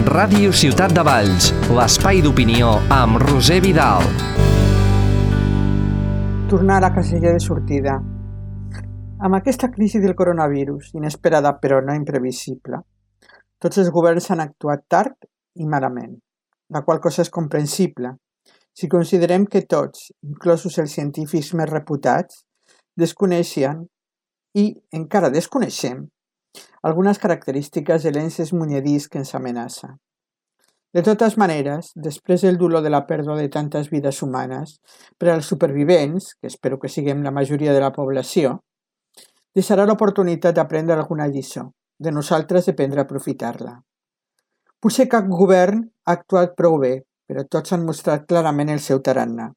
Ràdio Ciutat de Valls, l'espai d'opinió amb Roser Vidal. Tornar a la casella de sortida. Amb aquesta crisi del coronavirus, inesperada però no imprevisible, tots els governs han actuat tard i malament, la qual cosa és comprensible si considerem que tots, inclosos els científics més reputats, desconeixen i encara desconeixem algunes característiques de l'ens munyedís que ens amenaça. De totes maneres, després del dolor de la pèrdua de tantes vides humanes, per als supervivents, que espero que siguem la majoria de la població, deixarà l'oportunitat d'aprendre alguna lliçó. De nosaltres dependrà aprofitar-la. Potser cap govern ha actuat prou bé, però tots han mostrat clarament el seu tarannà.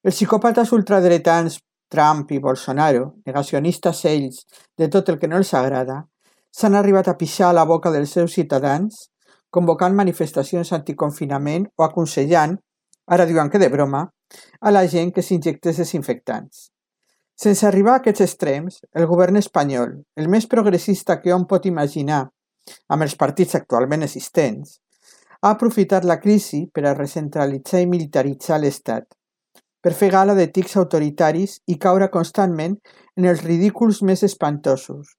Els psicòpates ultradretans Trump i Bolsonaro, negacionistes ells de tot el que no els agrada, s'han arribat a pixar a la boca dels seus ciutadans, convocant manifestacions anticonfinament o aconsellant, ara diuen que de broma, a la gent que s'injectés desinfectants. Sense arribar a aquests extrems, el govern espanyol, el més progressista que hom pot imaginar amb els partits actualment existents, ha aprofitat la crisi per a recentralitzar i militaritzar l'Estat, per fer gala de tics autoritaris i caure constantment en els ridículs més espantosos,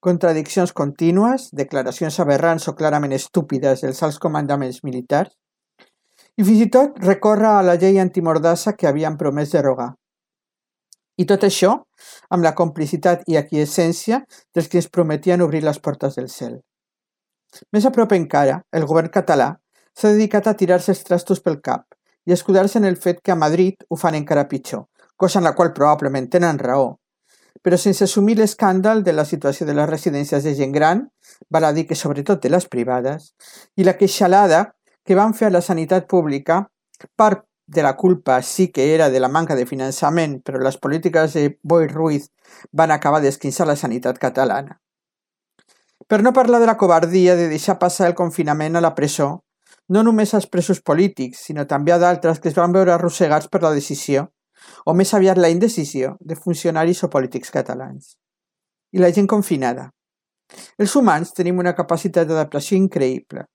contradiccions contínues, declaracions aberrants o clarament estúpides dels alts comandaments militars, i fins i tot recórrer a la llei antimordassa que havien promès derogar. I tot això amb la complicitat i aquiescència dels que ens prometien obrir les portes del cel. Més a prop encara, el govern català s'ha dedicat a tirar-se els trastos pel cap i a escudar-se en el fet que a Madrid ho fan encara pitjor, cosa en la qual probablement tenen raó, però sense assumir l'escàndol de la situació de les residències de gent gran, val a dir que sobretot de les privades, i la queixalada que van fer a la sanitat pública, part de la culpa sí que era de la manca de finançament, però les polítiques de Boi Ruiz van acabar d'esquinçar la sanitat catalana. Per no parlar de la covardia de deixar passar el confinament a la presó, no només als presos polítics, sinó també a d'altres que es van veure arrossegats per la decisió, o més aviat la indecisió, de funcionaris o polítics catalans. I la gent confinada. Els humans tenim una capacitat d'adaptació increïble.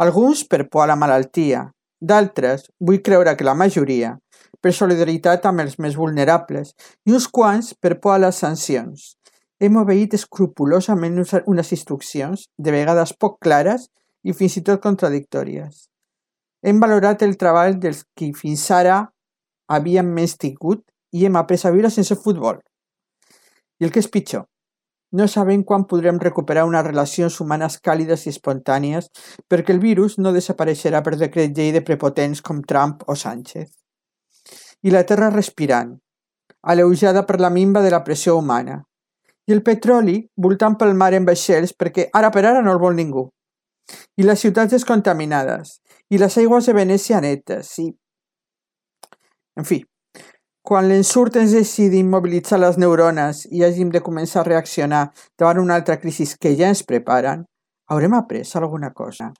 Alguns per por a la malaltia, d'altres, vull creure que la majoria, per solidaritat amb els més vulnerables, i uns quants per por a les sancions. Hem obeït escrupolosament unes instruccions, de vegades poc clares i fins i tot contradictòries. Hem valorat el treball dels qui fins ara havíem més tingut i hem après a viure sense futbol. I el que és pitjor, no sabem quan podrem recuperar unes relacions humanes càlides i espontànies perquè el virus no desapareixerà per decret llei de prepotents com Trump o Sánchez. I la terra respirant, alleujada per la minva de la pressió humana. I el petroli voltant pel mar en vaixells perquè ara per ara no el vol ningú. I les ciutats descontaminades, i les aigües de Venècia netes, i... En fi, quan l'ensurt ens deixi d'immobilitzar les neurones i hàgim de començar a reaccionar davant una altra crisi que ja ens preparen, haurem après alguna cosa.